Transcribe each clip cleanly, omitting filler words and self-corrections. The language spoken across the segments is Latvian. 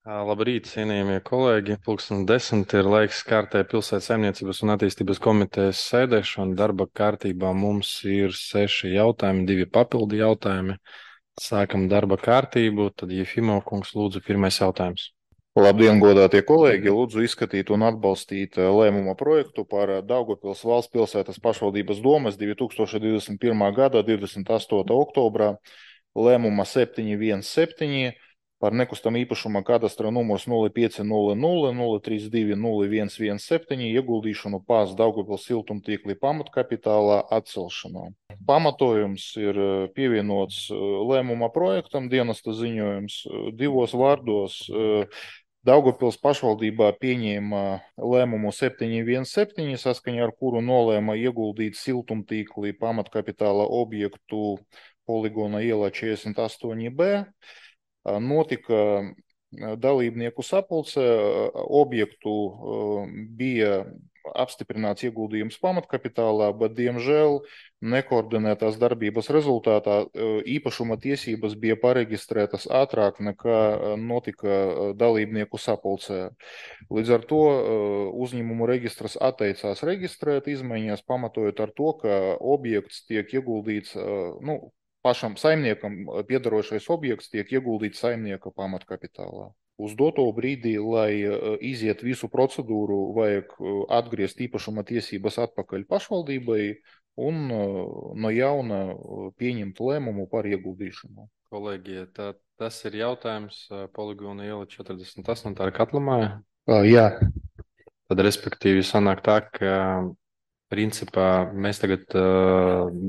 Labrīt, cienījamie kolēģi. Pulksten 10 ir laiks kārtē pilsētas saimniecības un attīstības komitejas sēdēšana. Darba kārtībā mums ir 6 jautājumi, 2 papildi jautājumi. Sākam darba kārtību, tad Jefimo kungs lūdzu pirmais jautājums. Labdien, godātie kolēģi! Lūdzu izskatīt un atbalstīt lēmuma projektu par Daugavpils valsts pilsētas pašvaldības domes 2021. gada 28. oktobrā lēmuma 717 par nekustamā īpašuma kadastra numurs 0500-032-0117 ieguldīšanu PAS Daugavpils siltumtīkli pamatkapitālā atcelšanu. Pamatojums ir pievienots lēmuma projektam, dienesta ziņojums divos vārdos. Daugavpils pašvaldībā pieņēma lēmumu 717, saskaņā ar kuru nolēma ieguldīt siltumtīkli pamatkapitāla objektu Poligona ielā 48B. Notika dalībnieku sapulce, objektu bija apstiprināts ieguldījums pamatkapitālā, bet, diemžēl, nekoordinētās darbības rezultātā īpašuma tiesības bija pareģistrētas ātrāk nekā notika dalībnieku sapulcē. Līdz ar to uzņēmumu registrs atteicās reģistrēt izmaiņas, pamatojot ar to, ka objekts tiek ieguldīts, pašam saimniekam piedarošais objekts tiek ieguldīts saimnieka pamatkapitālā. Uz doto brīdī, lai iziet visu procedūru, vajag atgriezt īpašuma tiesības atpakaļ pašvaldībai un no jauna pieņemt lēmumu par ieguldīšanu. Kolēģi, tas ir jautājums Poligona iela 48. Tā ir Katlamāja. Jā. Tad, respektīvi, sanāk tā, ka principā mēs tagad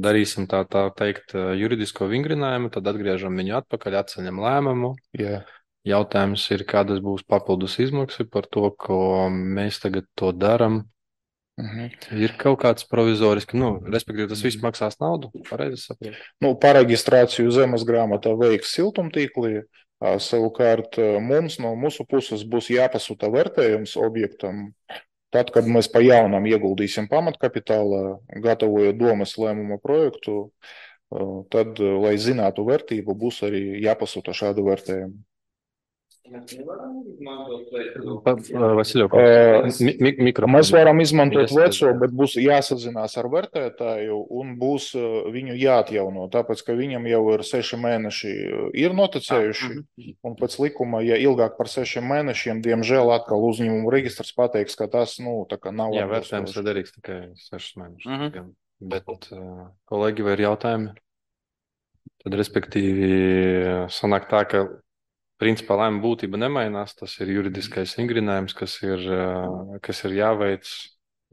darīsim tā teikt juridisko vingrinājumu, tad atgriežam viņu atpakaļ, atceļam lēmumu. Jā. Jautājums ir, kādas būs papildus izmaksas par to, ko mēs tagad to darām. Ir kaut kāds provizorisks, respektīvi, tas viss maksās naudu, pareizi saprotu? Pareģistrāciju zemes grāmatā veiks siltumtīklī. Savukārt mums no mūsu puses būs jāpasūta vērtējums objektam. Tad, kad mēs pa jaunam ieguldīsim pamatkapitālā, gatavojot domes lēmuma projektu, tad, lai zinātu vērtību, būs arī jāpasūta šādu vērtējumu. Mēs varam izmantot veco, bet būs jāsazinās ar vērtētāju un būs viņu jāatjauno, tāpēc, ka viņam jau ir 6 mēneši ir noticējuši, un pēc likuma, ja ilgāk par 6 mēnešiem, diemžēl atkal uzņēmumu registrs pateiks, ka tas, tā kā nav. Jā, vērtējums ir derīgs tikai 6 mēnešus. Bet, kolēģi, vai ir jautājumi? Tad, respektīvi, sanāk tā, ka principā lēmuma būtība nemainās, tas ir juridiskais vingrinājums, kas ir jāveic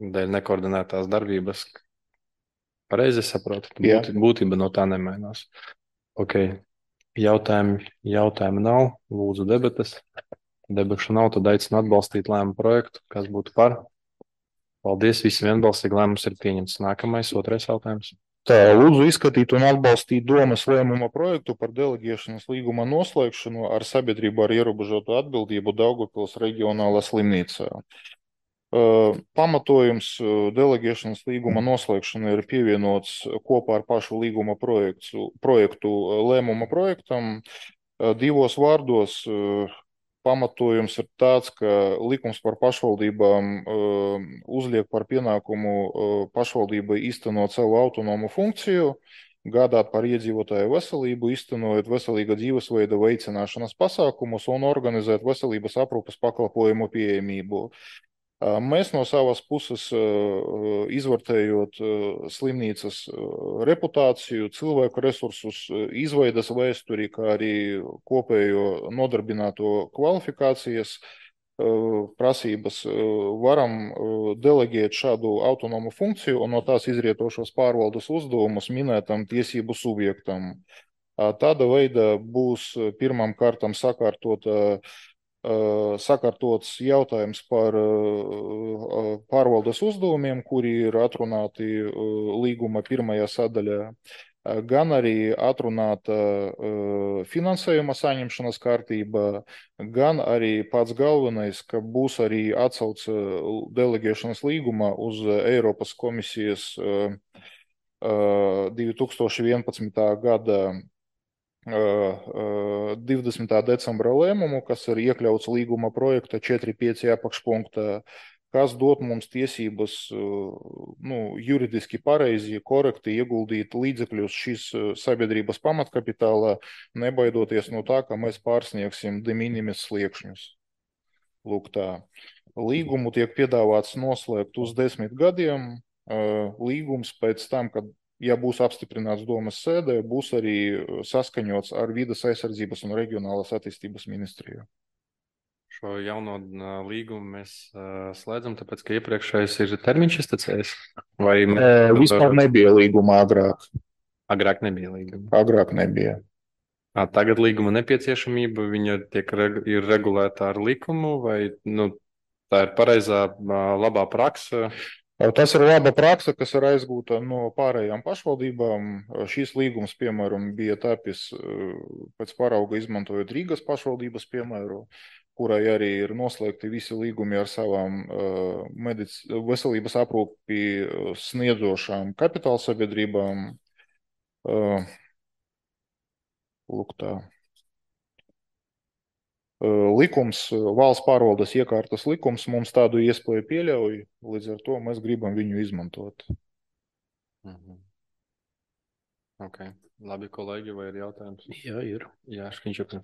dēļ nekoordinētās darbības. Pareizi saprotu, būtība no tā nemainās. Ok, jautājumi nav, lūdzu debates. Debašu nav, tad aicinu atbalstīt lēmumu projektu, kas būtu par. Paldies, visiem vienbalsīgi lēmums ir pieņemts. Nākamais, otrais jautājums. Lūdzu izskatīt un atbalstīt domes lēmuma projektu par deleģēšanas līguma noslēgšanu ar sabiedrību ar ierobežotu atbildību Daugavpils reģionālā slimnīcā. Pamatojums deleģēšanas līguma noslēgšana ir pievienots kopā ar pašu līguma projektu lēmuma projektam. Divos vārdos pamatojums ir tāds, ka likums par pašvaldībām uzliek par pienākumu pašvaldībai īstenot savu autonomu funkciju, gādāt par iedzīvotāju veselību, īstenojot veselīga dzīvesveida veicināšanas pasākumus un organizēt veselības aprūpes pakalpojumu pieejamību. Mēs no savas puses, izvērtējot slimnīcas reputāciju, cilvēku resursus, izveidas vēsturi, kā arī kopējo nodarbināto kvalifikācijas prasības, varam deleģēt šādu autonomu funkciju un no tās izrietošos pārvaldes uzdevumus minētam tiesību subjektam. Tāda veida būs pirmām kārtām sakārtots jautājums par pārvaldes uzdevumiem, kuri ir atrunāti līguma pirmajā sadaļā, gan arī atrunāta finansējuma saņemšanas kārtība, gan arī pats galvenais, ka būs arī atsauce deleģēšanas līguma uz Eiropas komisijas 2011. gada 20. decembra lēmumu, kas ir iekļauts līguma projekta 4.5. apakšpunktā, kas dot mums tiesības juridiski pareizi, korekti ieguldīt līdzekļus šīs sabiedrības pamatkapitālā, nebaidoties no tā, ka mēs pārsniegsim de minimis sliekšņus. Lūk tā. Līgumu tiek piedāvāts noslēgt uz 10 gadiem. Līgums pēc tam, kad ja būs apstiprināts domas sēdē, būs arī saskaņots ar Vides aizsardzības un reģionālās attīstības ministriju. Šo jauno līgumu mēs slēdzam, tāpēc, ka iepriekšējais ir termiņš iztecējis? Vai vispār nebija līguma agrāk? Agrāk nebija līguma. Agrāk nebija. Tagad līguma nepieciešamība, viņa ir regulēta ar likumu, vai tā ir pareizā, labā praksa? Tas ir laba praksa, kas ir aizgūta no pārējām pašvaldībām. Šīs līgums, piemēram, bija tapis pēc parauga izmantojot Rīgas pašvaldības piemēru, kurai arī ir noslēgti visi līgumi ar savām veselības aprūpi sniedzošām kapitāla sabiedrībām. Lūk tā. Likums, valsts pārvaldes iekārtas likums mums tādu iespēju pieļauj, līdz ar to mēs gribam viņu izmantot. Okay. Labi, kolēģi, vai ir jautājums? Jā, ir. Jā, Škiņčuks.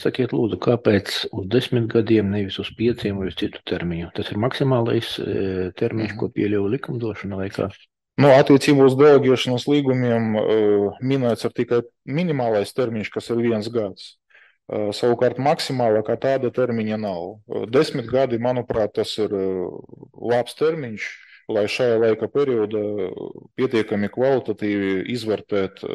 Sakiet, lūdzu, kāpēc uz 10 gadiem, nevis uz 5 vai uz citu termiņu? Tas ir maksimālais termiņš, ko pieļauj likumdošana vai kā? Attiecībā uz deleģēšanas līgumiem minēts ir tikai minimālais termiņš, kas ir 1 gads. Savukārt maksimālā kā tāda termiņa nav. 10 gadi, manuprāt, tas ir labs termiņš, lai šajā laika periodā pietiekami kvalitatīvi izvērtēt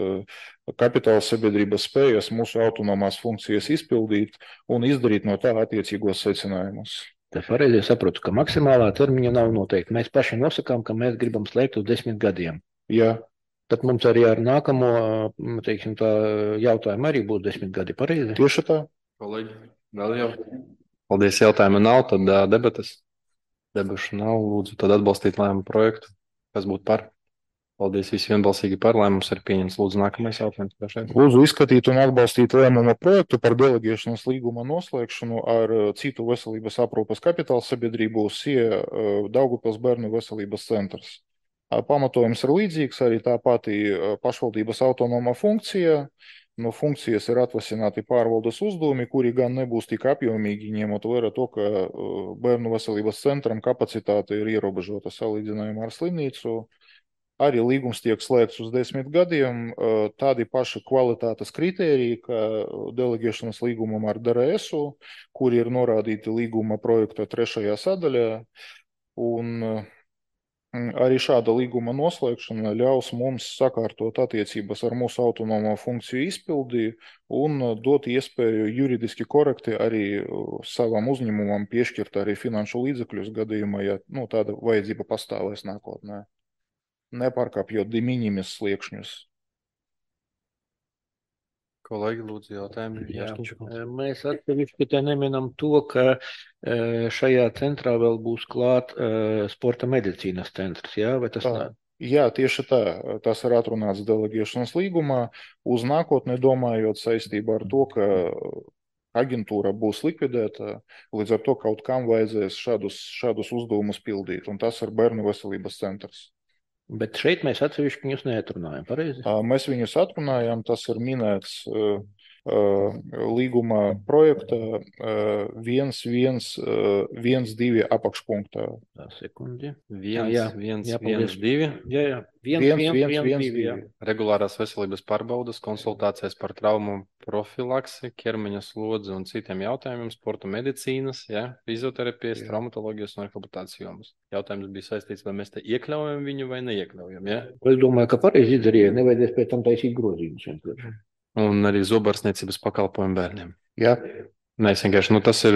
kapitāla sabiedrības spējas mūsu autonomās funkcijas izpildīt un izdarīt no tā attiecīgos secinājumus. Tas pareizi saprotu, ka maksimālā termiņa nav noteikti. Mēs paši nosakām, ka mēs gribam slēgt uz 10 gadiem. Jā. Tad mums arī ar nākamo, teiksim, tā jautājumu arī būs 10 gadi, pareizi? Tieši tā. Kolēģi, vēl jau. Paldies, jautājuma nav, tad debates. Debašu nav, lūdzu, tad atbalstīt lēmumu projektu. Kas būtu par? Paldies, visi vienbalsīgi par lēmums ir pieņems. Lūdzu, nākamais jautājums. Lūdzu, izskatīt un atbalstīt lēmumu projektu par deleģēšanas līguma noslēgšanu ar citu veselības aprūpes kapitāla sabiedrību SIE Daugavpils bērnu veselības centrs. Pamatojums ir līdzīgs, arī tā pati pašvaldības autonoma funkcija. No funkcijas ir atvasināti pārvaldes uzdevumi, kuri gan nebūs tik apjomīgi, ņemot vērā to, ka bērnu veselības centram kapacitāte ir ierobežota salīdzinājumā ar slimnīcu. Arī līgums tiek slēgts uz 10 gadiem, tādi paši kvalitātes kritēriji, kā deleģēšanas līgumam ar DRS-u, kuri ir norādīti līguma projekta 3. sadaļā. Un arī šāda līguma noslēgšana ļaus mums sakārtot attiecības ar mūsu autonomo funkciju izpildi un dot iespēju juridiski korekti arī savam uzņēmumam piešķirt arī finanšu līdzekļus gadījumā, ja tāda vajadzība pastāvēs nākotnē, nepārkāpjot de minimis sliekšņus. Kolēģi, lūdzu, jautājumi. Jā, mēs atsevišķi te neminam to, ka šajā centrā vēl būs klāt sporta medicīnas centrs, jā? Vai tas tā? Jā, tieši tā. Tas ir atrunāts deleģēšanas līgumā. Uz nākotni domājot saistībā ar to, ka aģentūra būs likvidēta, līdz ar to kaut kam vajadzēs šādus uzdevumus pildīt, un tas ir bērnu veselības centrs. Bet šeit mēs atsevišķi viņus neatrunājam, pareizi? Mēs viņus atrunājam, tas ir minēts līguma projekta 1.1.2 apakšpunktā. Tā sekundi. 1.1.1.2. Jā. 1.1.1.2. Regulārās veselības pārbaudas, konsultācijas par traumu profilaksi, ķermeņa slodzi un citiem jautājumiem, sporta medicīnas, fizioterapijas, traumatoloģijas un rehabilitācijas jomas. Jautājums bija saistīts, vai mēs te iekļaujam viņu vai neiekļaujam, ja? Es domāju, ka pareizi izdarīja, nevajadzēs pēc tam taisīt grozījumus. Un arī zobārstniecības pakalpojumu bērniem. Jā. Nē, es vienkārši, tas ir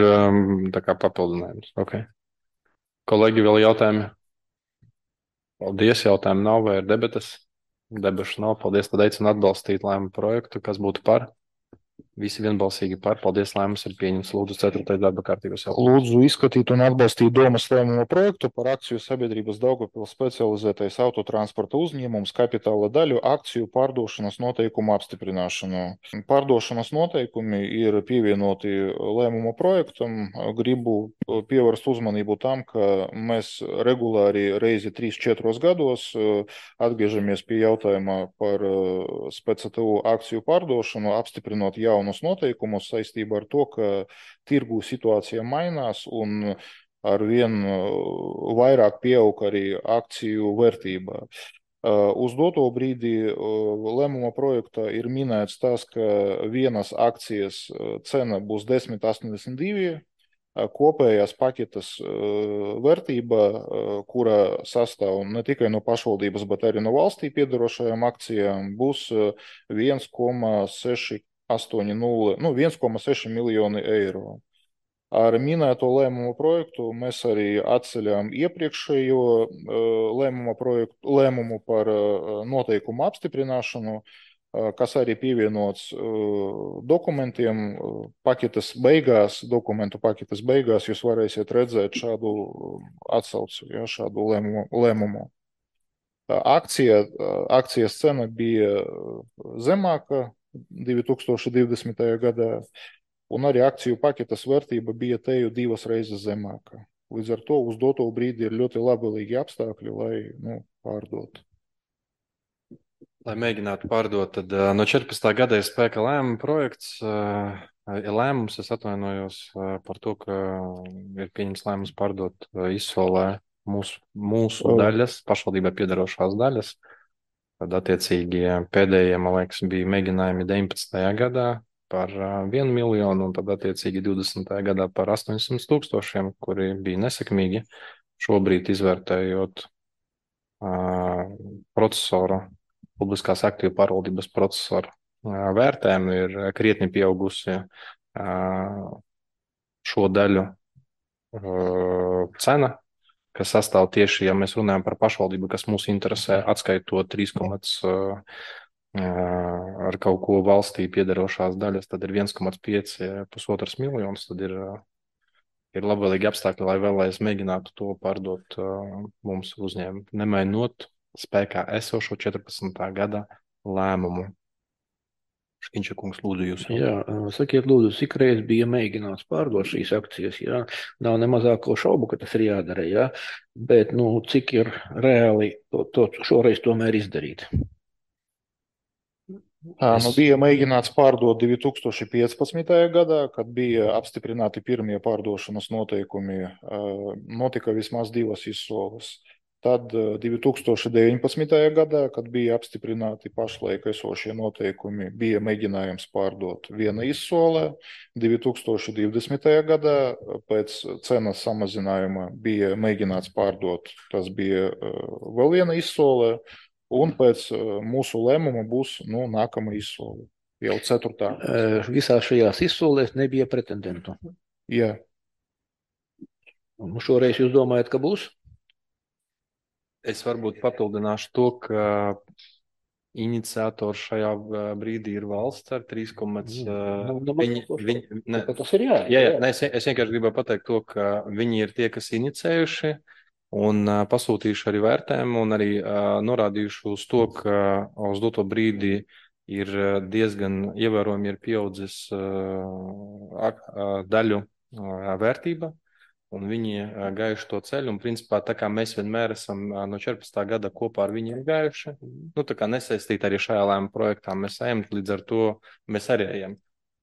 tā kā papildinājums. Okay. Kolēģi, vēl jautājumi? Paldies, jautājumu nav, vai ir debates? Debašu nav, paldies, tad aicinu atbalstīt lēmumu projektu, kas būtu par? Visi vienbalsīgi par. Paldies, lēmums ir pieņemts. Lūdzu, 4. darba kārtības jautājums. Lūdzu izskatīt un atbalstīt domas lēmumu projektu par akciju sabiedrības Daugavpils specializētais autotransporta uzņēmums kapitāla daļu akciju pārdošanas noteikumu apstiprināšanu. Pārdošanas noteikumi ir pievienoti lēmumu projektam. Gribu pievērst uzmanību tam, ka mēs regulāri reizi 3-4 gados atgriežamies pie jautājuma par SPCTU akciju pārdošanu, apstiprinot jaunus noteikumus saistībā ar to, ka tirgu situācija mainās un arvien vairāk pieaug arī akciju vērtībā. Uz doto brīdi lēmuma projektā ir minēts tas, ka vienas akcijas cena būs 10,82, kopējās paketes vērtība, kura sastāv ne tikai no pašvaldības, bet arī no valstī piedarošajām akcijām, būs 1,680, 1,6 miljoni eiro. Ar minēto lēmumu projektu mēs arī atceļām iepriekšējo lēmumu par noteikumu apstiprināšanu, kas arī pievienots dokumentiem dokumentu paketes beigās jūs varēsiet redzēt šādu atsauci, šādu lēmumu. Akcijas cena bija zemāka 2020. gadā, un arī akciju paketes vērtība bija teju 2 reizes zemāka. Līdz ar to uz doto brīdi ir ļoti labvēlīgi apstākļi, lai pārdotu. Lai mēģinātu pārdot, tad no 14. gada ir spēka lēmuma projekts. Lēmums, es atvainojos par to, ka ir pieņems lēmums pārdot Izsolē mūsu daļas, pašvaldībai piedarošās daļas. Tad, attiecīgi, pēdējie, man liekas, bija mēģinājumi 19. gadā par 1 miljonu, un tad, attiecīgi, 20. gadā par 800,000, kuri bija nesekmīgi. Šobrīd, izvērtējot procesoru, publiskās aktīvu pārvaldības procesoru vērtējumu, ir krietni pieaugusi šo daļu cena, kas sastāv tieši, ja mēs runājam par pašvaldību, kas mūs interesē, atskaitot 3, ar kaut ko valstī piederošās daļas, tad ir 1,5–1,5 miljonus, tad ir labvēlīgi apstākļi, lai vēlreiz mēģinātu to pārdot mums uzņēmumu, nemainot spēkā esošo 14. gada lēmumu. Škiņša kungs, lūdzu jūs. Jā, sakiet, lūdzu, cik reiz bija mēģināts pārdot šīs akcijas, jā? Nav ne mazāko šaubu, ka tas ir jādara, jā? Bet, cik ir reāli to šoreiz tomēr izdarīt? Bija mēģināts pārdot 2015. gadā, kad bija apstiprināti pirmie pārdošanas noteikumi, notika vismaz 2 izsoles. Tad 2019. gadā, kad bija apstiprināti pašlaik esošie noteikumi, bija mēģinājums pārdot 1 izsolē. 2020. gadā pēc cenas samazinājuma bija mēģināts pārdot, tas bija vēl 1 izsolē, un pēc mūsu lēmuma būs nākamā izsole, jau 4. Visās šajās izsolēs nebija pretendentu? Jā. Un šoreiz jūs domājat, ka būs? Es varbūt papildināšu to, ka iniciators šajā brīdī ir valsts ar 3, tas ir jā. Es vienkārši gribēju pateikt to, ka viņi ir tie, kas inicējuši un pasūtījuši arī vērtējumu un arī norādījuši uz to, ka uz doto brīdi ir diezgan ievērojami ir pieaudzis daļu vērtība. Un viņi gājuši to ceļu, un principā tā kā mēs vienmēr esam no 14. gada kopā ar viņiem gājuši, tā kā nesaistīti arī šajā lēmuma projektā mēs ejam, līdz ar to mēs arī ejam.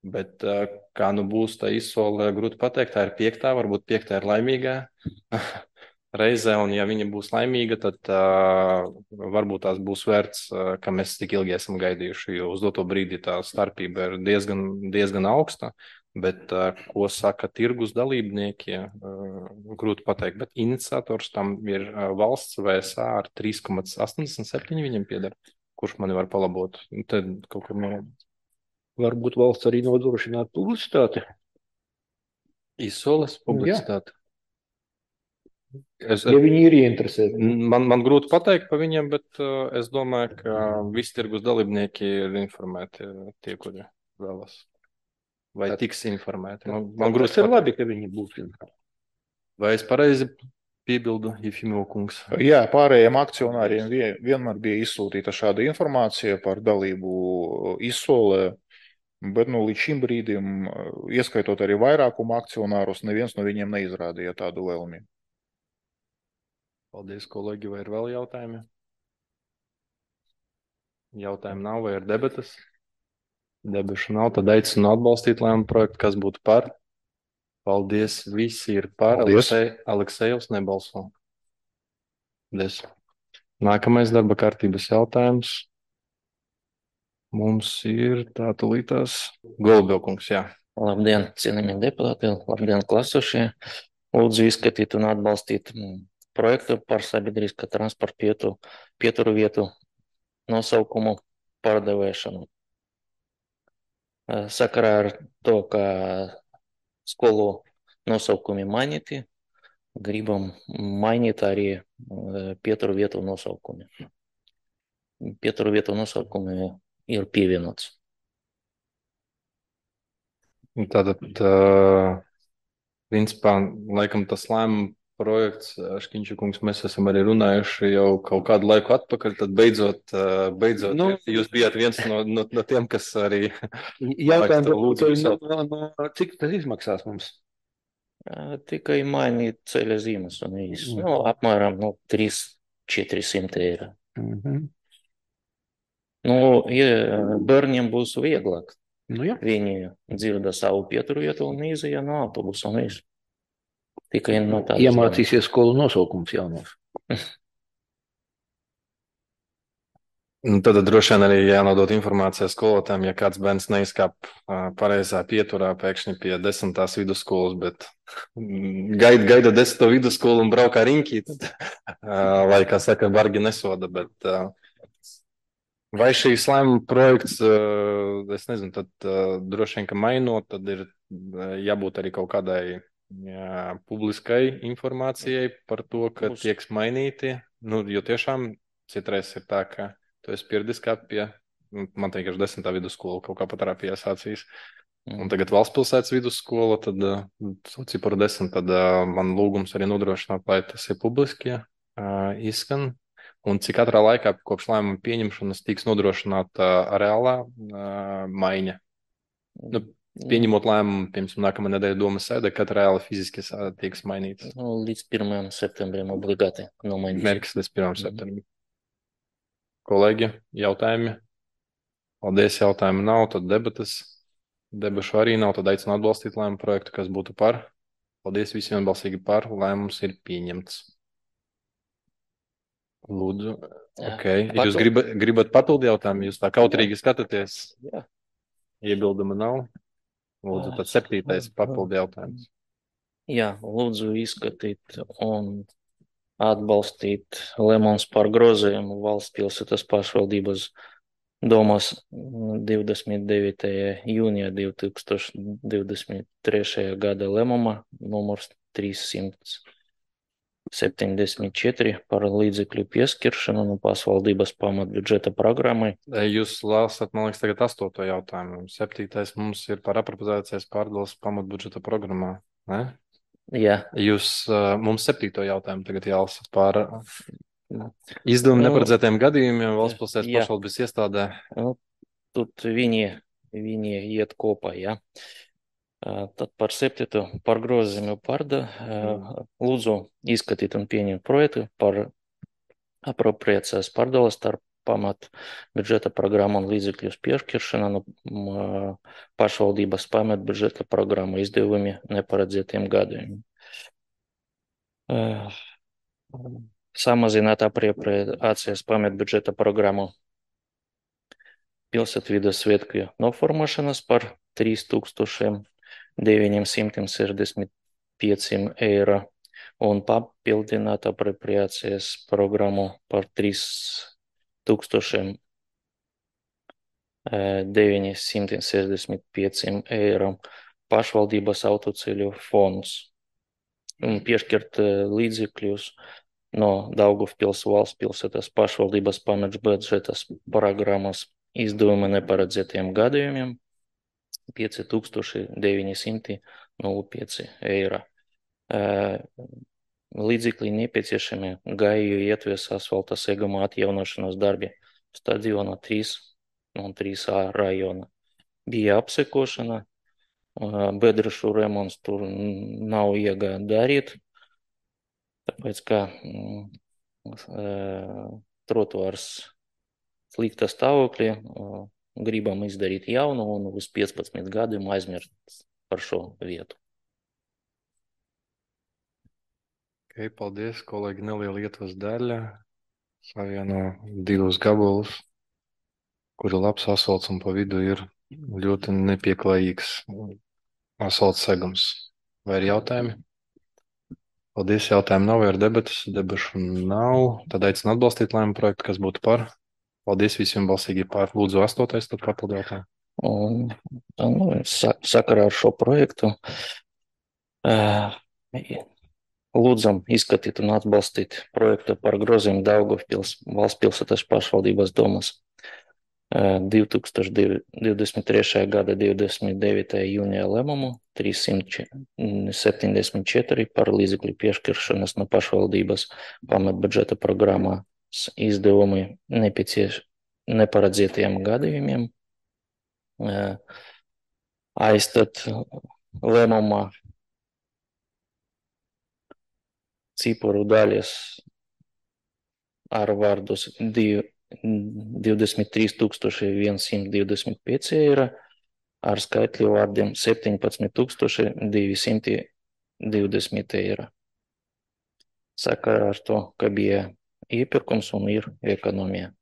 Bet kā būs tā izsole, grūti pateikt, tā ir 5., varbūt 5. ir laimīgā reize, un ja viņa būs laimīga, tad varbūt tās būs vērts, ka mēs tik ilgi esam gaidījuši, jo uz doto brīdi tā starpība ir diezgan augsta. Bet, ko saka tirgus dalībnieki, grūti pateikt, bet iniciators tam ir valsts VSA ar 3,87 viņam pieder, kurš mani var palabot. Tad kaut kur norādīt. Varbūt valsts arī nodrošināt publicitāti? Izsoles publicitāti. Ja viņi ir ieinteresēti. Man grūti pateikt pa viņiem, bet es domāju, ka visi tirgus dalībnieki ir informēti tie, kuri vēlas. vai tiks informēti. Man grūti ir labi, ka viņi būs informēti. Vai es pareizi piebildu, Jefimov kungs? Jā, pārējiem akcionāriem vienmēr bija izsūtīta šāda informācija par dalību izsolē, bet līdz šim brīdim, ieskaitot arī vairākumu akcionārus, neviens no viņiem neizrādīja tādu vēlmi. Paldies, kolēģi, vai ir vēl jautājumi? Jautājumu nav, vai ir debatas? Debašu nav, tad aicinu atbalstīt lēmumu projektu, kas būtu par. Paldies, visi ir par. Paldies. Aleksejevs nebalso. Paldies. Nākamais darba kārtības jautājums. Mums ir tā tulītās Golubjokungs, jā. Labdien, cienījamie deputāti, labdien, klasušie. Lūdzu izskatīt un atbalstīt projektu par sabiedriskā transporta pieturu vietu nosaukumu pārdevēšanu. Sakarā ar to, ka skolu nosaukumi mainīti, gribam mainīt arī pieturu vietu nosaukumi. Pieturu vietu nosaukumi ir pievienots. Tātad, principā, laikam tas lēmuma projekts, Škiņša kungs, mēs esam arī runājuši jau kaut kādu laiku atpakaļ, tad beidzot jūs bijāt viens no tiem, kas arī Jautājums, cik tas izmaksās mums? Tikai mainīt ceļa zīmes un viss. Apmēram 300–400 eiro. Bērniem būs vieglāk. Viņi dzirda savu pieturu vietu un izēja no autobusa un viss. Tikai no tādas. Iemācīsies skolu nosaukums jaunos. Tad droši vien arī jānodot informācija skolotājiem, ja kāds bērns neizkāp pareizā pieturā pēkšņi pie 10. vidusskolas, bet gaida 10. vidusskolu un braukā riņķī, tad, lai, kā saka, bargi nesoda, bet vai šīs lēmuma projekts, es nezinu, tad droši vien, ka mainot, tad ir jābūt arī kaut kādai publiskai informācijai par to, ka tiek mainīti, jo tiešām citreiz ir tā, ka tu esi pieradis kā pie, man vienkārši 10. vidusskola kaut kā pat pie sācīs. Un tagad Valstspilsētas vidusskola, tad ciparu 10, tad man lūgums arī nodrošināt, lai tas ir publiski izskan. Un cik katrā laikā kopš lēmuma pieņemšanas tiks nodrošināta reālā maiņa. Pieņemot lēmumu, piemēram, nākamā nedēļa domas sēde, kad reāli fiziski tiks mainīts. Līdz 1. septembrim obligāti nomainīt. Mērķis līdz 1. septembrim. Kolēģi, jautājumi? Paldies, jautājumi nav, tad debatas. Debašu arī nav, tad aicinu atbalstīt lēmumu projektu, kas būtu par. Paldies visiem vienbalsīgi par, lēmums ir pieņemts. Lūdzu, ok. Jūs gribat papildu jautājumu? Jūs tā kautrīgi skatāties? Jā. Iebilduma nav? Lūdzu, tad 7. papildu jautājums. Jā, lūdzu izskatīt un atbalstīt lēmums par grozījumu Valsts pilsētas pašvaldības domās 29. jūnijā 2023. gada lēmuma numurs 374 par līdzekļu pieskiršanu no pašvaldības pamatbudžeta programmai. Jūs lasat, man liekas, tagad 8. jautājumu. 7. mums ir par apropriācijas pārdales pamatbudžeta programmā, ne? Jā. Jūs mums 7. jautājumu tagad jālasa par izdevumu neparedzētiem gadījumiem Valstspilsētas pašvaldības iestādē. Тут viņi iet kopā, jā. Tad par 7. par grozījumu lūdzu izskatīt un pieņemt projektu par apropriācijas pārdales starp pamat budžeta programmu un līdzekļus piešķiršana no pašvaldības pamat budžeta programmu izdevumi neparedzētiem gadījumiem. Samazināt apropriācijas pamat budžeta programmu pilsētvides svētku noformēšanas par 3965 eiro un papildināt apropriācijas programmu par 3965 eiro pašvaldības autoceļu fonds un piešķirt līdzekļus no Daugavpils valsts pilsētas pašvaldības pamatbudžetas programmas izdevuma neparedzētiem gadījumiem 905 eiro. Līdzekļi nepieciešami Gaju ietves asfalta seguma atjaunošanas darbi stadiona 3 un 3A rajona. Bija apsekošana, bedrešu remonts tur nav iegāja darīt, tāpēc, ka trotuārs slikta stāvokļa, gribam izdarīt jaunu un uz 15 gadiem aizmirst par šo vietu. Paldies, kolēģi, neliela ietvas daļa. Savieno 2 gabalus, kuri labs asfalts un pa vidu ir ļoti nepieklājīgs asfalts segums. Vai ir jautājumi? Paldies, jautājumu nav, vai ir debatas? Debašu nav. Tad aicinu atbalstīt lēmumu projektu, kas būtu par. Paldies visiem balsīgi par. Lūdzu, 8. tad papildu jautājumu. Un sakarā ar šo projektu lūdzam izskatīt un atbalstīt projektu par grozījumu Daugavpils valsts pilsētas pašvaldības domas 2023. gada 29. jūnijā lēmumu 374 par līdzekļu piešķiršanas no pašvaldības pamatbudžeta programmas izdevumi neparedzētajiem gadījumiem. Aizstat lēmumā ciparu daļas ar vārdus 23,125 eiro, ar skaitļu vārdiem 17,220 eiro. Sakarā ar to, ka bija iepirkums un ir ekonomija.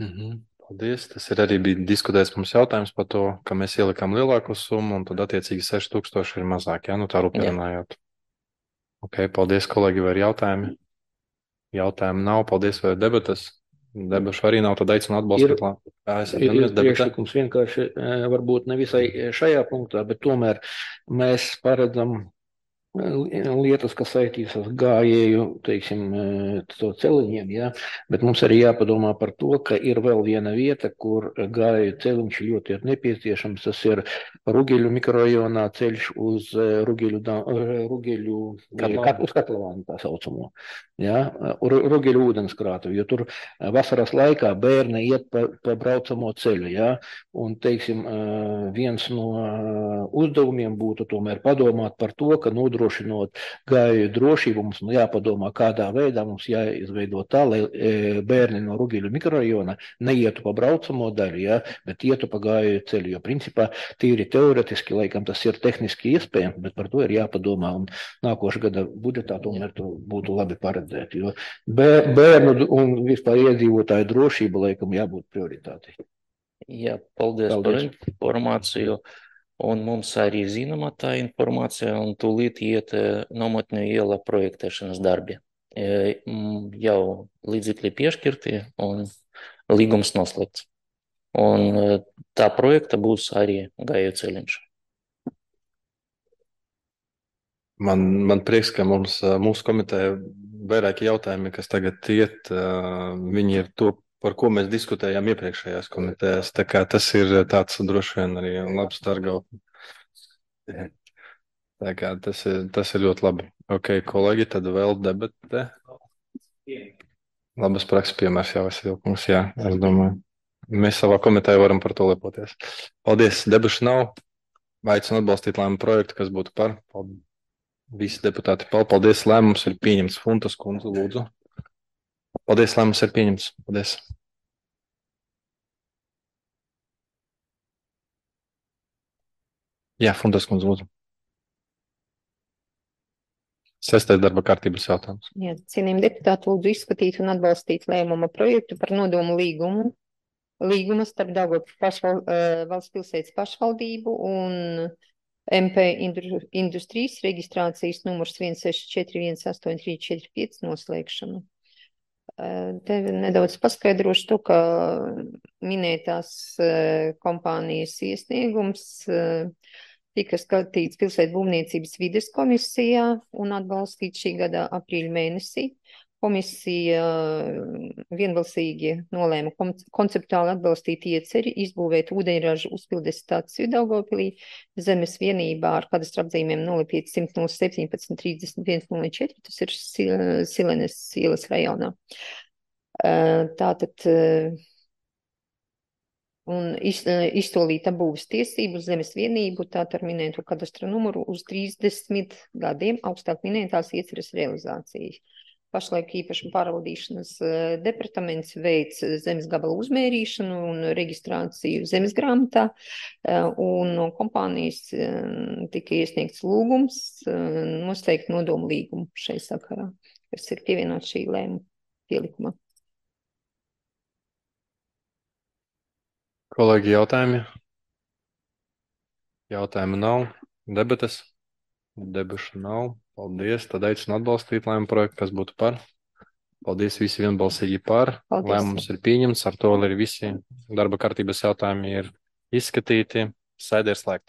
Paldies. Tas ir arī bija diskutēts mums jautājums par to, ka mēs ielikām lielāku summu un tad attiecīgi 6,000 ir mazāk, ja? Nu tā rūpēnājot. Paldies, kolēģi, vai ir jautājumi? Jautājumu nav. Paldies, vai ir debatas? Debašu arī nav, tad aicinu atbalstīt. Ir priekšlikums vienkārši varbūt nevisai šajā punktā, bet tomēr mēs paredzam lietas, kas saistītas ar gājēju, teiksim, to celiņiem, ja? Bet mums arī jāpadomā par to, ka ir vēl viena vieta, kur gājēju celiņš ļoti ir nepieciešams. Tas ir Rugeļu mikrorajonā ceļš uz Rugeļu uz Katlavānu tā saucamo, ja? Rugeļu ūdenskrātuvi, jo tur vasaras laikā bērni iet pa braucamo ceļu, ja? Un, teiksim, viens no uzdevumiem būtu tomēr padomāt par to, ka nodrošinot gājēju drošību, mums jāpadomā, kādā veidā mums jāizveido tā, lai bērni no Rugeļu mikrorajona neietu pa braucamo daļu, ja, bet ietu pa gājēju ceļu, jo principā tīri teoretiski, laikam tas ir tehniski iespējams, bet par to ir jāpadomā, un nākošā gada budžetā tomēr to būtu labi paredzēt, jo bērnu un vispār iedzīvotāju drošība, laikam, jābūt prioritātei. Jā, paldies par informāciju. Un mums arī zināma tā informācija, un tūlīt iet Nometņu iela projektēšanas darbi. Jau līdzekļi piešķirti un līgums noslēgts. Un tā projekta būs arī gāju ceļiņš. Man prieks, ka mūsu komiteja vairāki jautājumi, kas tagad iet, viņi ir to, par ko mēs diskutējām iepriekšējās komitejās. Tā kā tas ir tāds droši vien arī labs dargau. Tā kā tas ir ļoti labi. Kolēģi, tad vēl debate. Labas prakses piemērs jau Vasilkungs, jā, es domāju. Mēs savā komitejā varam par to lepoties. Paldies, debašu nav. Aicinu atbalstīt lēmumu projektu, kas būtu par. Visi deputāti, paldies, lēmums ir pieņemts. Funtas kundze, lūdzu. Paldies, lēmums ir pieņemts. Paldies. Jā, Funtas kundze, lūdzu. 6. darba kārtības jautājums. Jā, cienījami deputāti, lūdzu izskatīt un atbalstīt lēmuma projektu par nodomu līgumu starp Daugavpils valsts pilsētas pašvaldību un MP Industrijas reģistrācijas numurs 1641835 noslēgšanu. Te nedaudz paskaidrošu to, ka minētās kompānijas iesniegums tika skatīts pilsētu būvniecības vides komisijā un atbalstīts šī gada aprīļa mēnesī. Komisija vienbalsīgi nolēma konceptuāli atbalstīt ieceri, izbūvēt ūdeņraža uzpildes staciju Daugavpilī zemes vienībā ar kadastra apzīmēm 0500 017 31 04, tas ir Silenes ielas rajonā. Tātad un izsolīta būvs tiesību zemes vienību, tātad ar minēto kadastra numuru uz 30 gadiem augstāk minētās ieceres realizācijas. Pašlaik īpašuma pārvaldīšanas departaments veic zemes gabala uzmērīšanu un reģistrāciju zemes grāmatā, un no kompānijas tika iesniegts lūgums noslēgt nodomu līgumu šai sakarā, kas ir pievienots šī lēmuma pielikumā. Kolēģi, jautājumi? Jautājumu nav. Debates? Debašu nav. Paldies. Tad aicinu atbalstīt lēmumu projektu, kas būtu par. Paldies, visi vienbalsīgi par. Paldies. Lēmums ir pieņemts. Ar to arī visi darba kārtības jautājumi ir izskatīti. Sēde ir slēgta.